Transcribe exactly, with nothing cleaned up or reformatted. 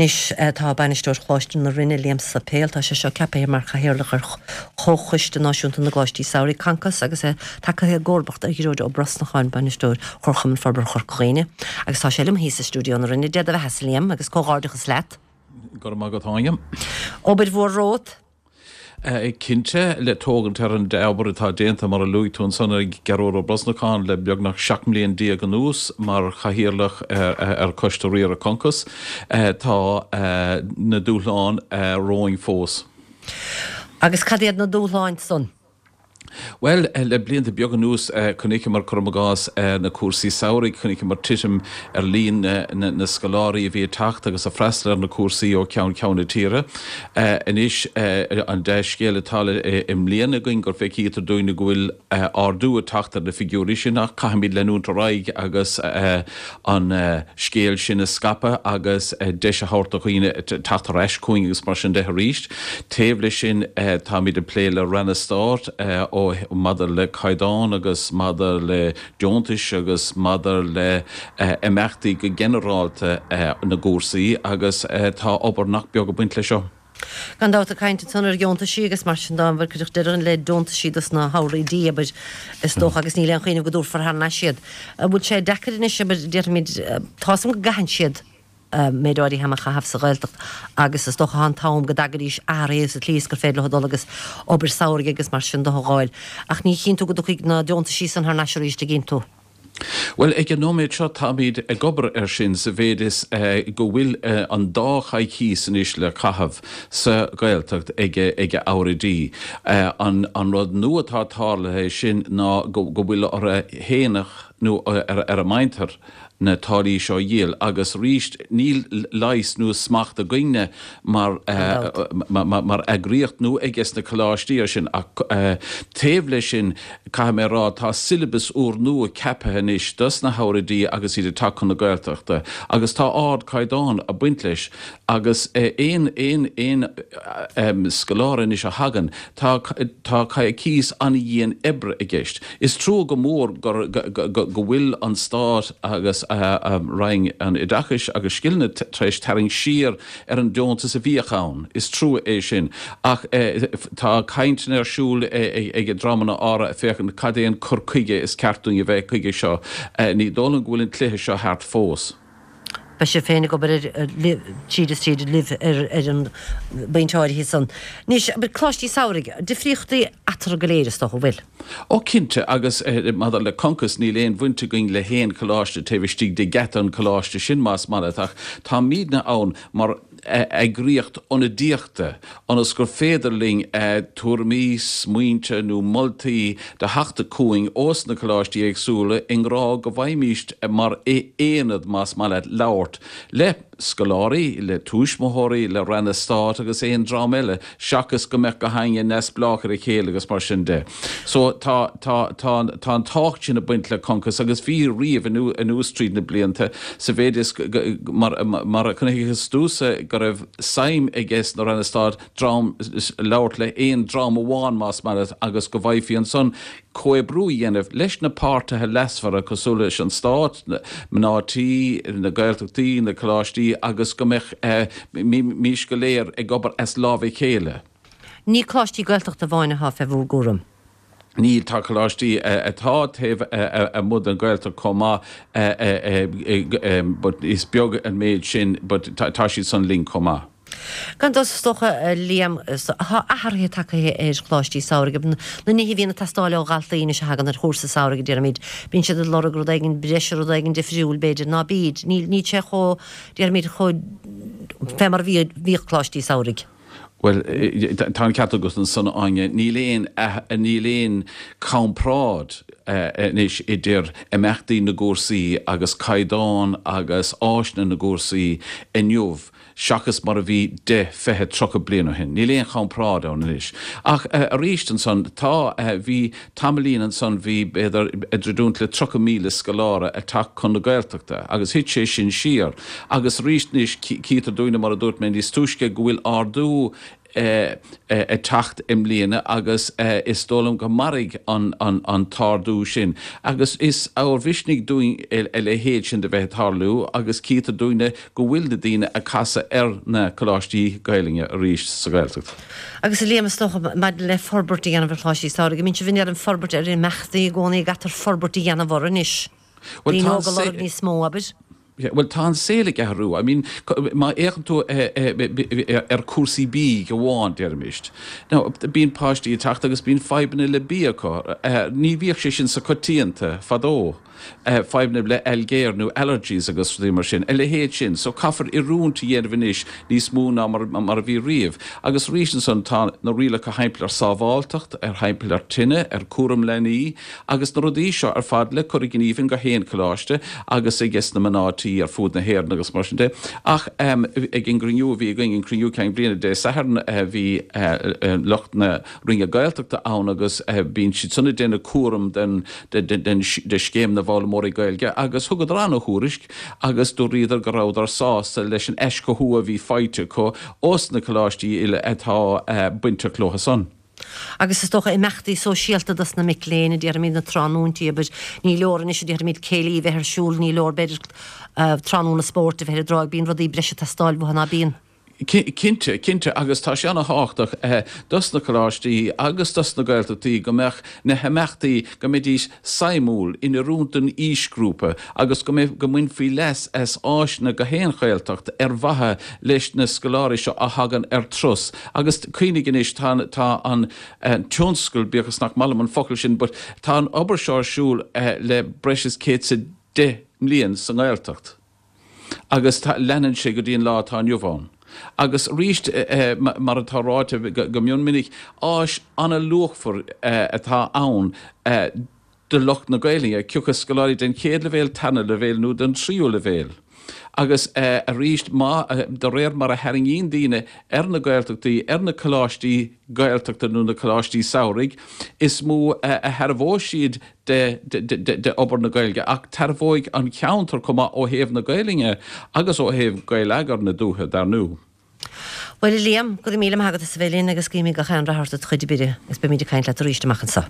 Anois tá bainisteoir Choláiste na Rinne Liam Suipéil, tá sé seo ceaptha mar chathaoirleach ar Chomhchoiste Náisiúnta na gColáistí Samhraidh Concos agus é tagtha i gcomharbacht ar Ghearóid Ó Brosnacháin bainisteoir Chomharchumann Forbartha Chorca Dhuibhne. Agus tá sé liom thíos i stiúideo na Rinne Dia do bheatha Liam agus comhghairdeachas leat. Go raibh maith agat Áine. Obair mhór romhat? Cinnte le tógaint ar an obair atá déanta mar a luaigh tú ansan ag Gearóid Ó Brosnacháin le beagnach seacht mbliana déag anuas mar chathaoirleach ar Choiste Riartha Concos, tá na dúshláin romhainn fós. Agus cad iad na dúshláin san? Bhuel, le blianta beaga anuas chonaiceamar, cuirim i gcás, na cúrsaí samhraidh, chonaiceamar titim ar líon na scoláirí a bhí ag teacht agus ag freastal ar na cúrsaí ó cheann ceann na tíre. Anois, an dea-scéal atá i mbliana againn gur feicítear dúinn go bhfuil ardú ag teacht ar na figiúirí sin ach caithfimid leanúint ar aghaidh agus an scéal sin a scaipeadh agus deis a thabhairt do dhaoine teacht ar ais chugainn agus mar sin de arís. Taobh leis sin, táimid ag plé le Ranna Stáit ó maidir le caighdeán agus maidir le deontais agus maidir le imeachtaí go ginearálta na gcúrsaí agus tá obair nach beag ag baint leis seo. Gan dabht ag caint ansan ar dheontaisí agus mar sin de an bhfuil cuideachta deireadh le deontaisí dos na shamhraidh abair is dócha agus níl aon chuimhneamh go dtabharfar thar n-ais iad. An bhfuil sé deacair anois abair déarfaimid tá 's agam go gcaitheann siad méid áirithe ama a chaitheamh sa Ghaeltacht agus is dócha an t-am go dtagaidís athraithe sa tslí is gur féidir leo dul agus obair samhraidh agus mar sin de a dh'fháil. Ach ní chíonn tú go dtiocfaidh na deontaisí san thar n-ais arís an gcíonn tú. Bhuel, ag an nóiméad seo táimid ag obair air sin sa mhéid is go bhfuil an dá choicís anois le caitheamh sa Ghaeltacht ag ag Eabhraidí. An an rud nua atá tarlaithe sin ná go go bhfuil orthu fhéineach nó ar ar a muintir na táillí seo a dhíol agus arís níl leigheas nó smacht againne mar mar eagraíocht nó ages na coláistí air sin ach taobh leis sin caithfidh mé a rá tá siollabas úrnua ceaptha anois dos na hEabhraidí agus iad ag teacht chun na Gaeltachta agus tá ardchaighdeán ag baint leis agus aon aon aon scoláire anois a thagann tá tá coicís an-dhian oibre i gceist. Is trua go mór gur go bhfuil an Stát agus Roinn an Oideachais agus Scileanna tar éis tarraingt siar ar an deontas a bhíodh ann. Is trua é sin. Ach tá cainteanna ar siúl ag dreamanna áirithe ag féachaint cad é an cur chuige is ceart dúinn a bheith chuige seo. Ní dóigh liom go bhfuil an cluiche seo thart fós. Beidh sibh féin ag obair ar tríd is tríd libh ar ar an bpointe áirithe san. Anois, coláistí samhraidh, difríochtaí eatarthu go léir is dócha, an bhfuil? Ó cinnte, agus maidir le Concos níl aon bhaint againn le haon choláiste taobh istigh de gheata an choláiste sin más maith leat ach táimidne ann mar eagraíocht ionadaíochta ionas gur féidir linn tuairimí, smaointe nó moltaí do theacht chugainn ós na coláistí éagsúla i ngrá go bhfaighimíst mar aonad más maith leat labhairt le scoláirí, le tuismitheoirí, le ranna stáit agus aon dream eile seachas go mbeadh gach éinne neamhspleách ar a chéile agus mar sin de. So tá tá tá tá an tábhacht sin ag baint le Concos agus bhí riamh anuas tríd na blianta sa mhéid is mar mar a chonaiceas tusa go raibh suim ages na ranna stáit dream labhairt le haon dream amháin más maith leat agus go bhfaighfí ansan comhoibriú a dhéanamh leis na páirtithe leasmhara cosúil leis an Stát, mná tí, na Gaeltachtaí, na coláistí agus go mbeadh mís go léir ag obair as lámh a chéile. Ní coláistí Gaeltachta amháin atá fé bhur gcúram. Níl, tá coláistí atá taobh amuigh den Ghaeltacht chomh maith but is beag an méid sin but tá siad san linn chomh maith. Gan dabht is dócha, Liam, tá athruithe tagtha ar choláistí samhraidh, na nithe a bhíonn ag teastáil ó dhaltaí anois a thagann ar chúrsa samhraidh, déarfaimid, bíonn siad ag lorg rud éigin breise, rud éigin difriúil, b'fhéidir, ná bíd, níl, níl sé chomh, déarfaimid, chomh, fé mar a bhí, bhíodh coláistí samhraidh. Bhuel, tá an ceart agat ansan, Áine, níl aon, níl aon chomparáid anois idir imeachtaí na gcúrsaí agus caighdeán agus áiseanna na gcúrsaí inniu seachas mar a bhí deich, fiche, tríocha bliain ó shin. Níl aon chomparáid ann anois. Ach arís ansan, tá, bhí tamaillín ansan, bhí b'fhéidir ag druidiúint le tríocha míle scoláire ag teacht chun na Gaeltachta agus thit sé sin siar. Agus arís anois, cítear dúinne, mar a dúirt mé níos túisce, go bhfuil ardú ag teacht i mbliana agus is dóigh liom go mairfidh an t-ardú sin. Agus is ábhar misnigh dúinn a leithéid sin de bheith ag tarlú agus cítear dúinne go bhfuil na daoine ag casadh ar na coláistí Gaelainne arís sa Ghaeltacht. Agus a Liam, is dócha maidir le forbairt a dhéanamh ar choláistí samhraidh, an mbíonn sibh in ann forbairt ar imeachtaí i gcónaí, an gcaithfear forbairt a dhéanamh orthu anois? Daoine óga ag lorg níos mó, abair? Bhuel, tá an saol ag athrú. I mean, má fhéachann tú ar cúrsaí bídh amháin, déarfaimis. Now, bíonn páistí ag teacht agus bíonn fadhbanna le bia acu. Ní bhíodh sé sin so coitianta fadó. Fadhbanna le ailgéir nó allergies agus rudaí mar sin, a leithéid sin. So caithfear oiriúint a dhéanamh anois níos mó ná mar a bhí riamh. Agus arís ansan tá na rialacha thimpeall ar sábháilteacht, ar thimpeall ar tine, ar cúram leanaí agus na rudaí seo ar fad le cur i ngníomh in gach aon choláiste agus ages na mná tí ar fud na hÉireann agus mar sin de. Ach ag an gcruinniú a bhí againn, an cruinniú ceann bliana Dé Sathairn, bhí lucht na Roinne Gaeltachta ann agus bíonn siad san ag déanamh cúram den de scéim na bhfoghlaimeoirí Gaeilge agus thugadar ana-thuairisc agus dúradar go rabhadar sásta leis an aischothú a bhí faighte acu ós na coláistí uile atá bainteach leo san. Agus is dócha imeachtaí sóisialta dos na mic léinn, a déarfaimid, na tráthnóintí, abair, ní leor anois, a déarfaimid, céilí a bheith ar siúl, ní leor, b'fhéidir, tráthnóna spóirt a bheith ar an dtráigh, bíonn rudaí breise ag teastáil uathu, ná bíonn? Cinnte, cinnte, agus tá sé ana-thábhachtach dos na coláistí agus dos na Gaeltachtaí go mbeadh na himeachtaí, go mbeidís suimiúil, in oiriúint don aoisghrúpa agus go mbeidh, go mbainfí leas as áiseanna gach aon Ghaeltacht ar mhaithe leis na scoláirí seo a thagann ar turas. Agus cuimhnigh anois, tá, tá an tionscal, bíodh is nach maith liom an focal sin, but tá an obair seo ar siúl le breis is céad is a deich mbliain sa nGaeltacht. Agus leanann sé go dtí an lá atá inniu ann. Agus arís, mar atá ráite go mion minic, áis an-luachmhar atá ann do lucht na Gaelainne, cé acu scoláirí den chéad leibhéal, tarna leibhéal nó den tríú leibhéal. Agus arís, má, de réir mar a tharraingíonn daoine ar na Gaeltachtaí, ar na coláistí Gaeltachta nó na coláistí samhraidh, is mó a thairbheoidh siad de obair na Gaeilge, ach tairbheoidh an ceantar chomh maith ó thaobh na Gaelainne agus ó thaobh Gaeleagar na dúiche, dar ndú. Bhuel, a Liam, go raibh míle maith agat as a bheith linn agus guímid gach aon rath ort i do chuid oibre agus beimid ag caint leat arís amach anseo.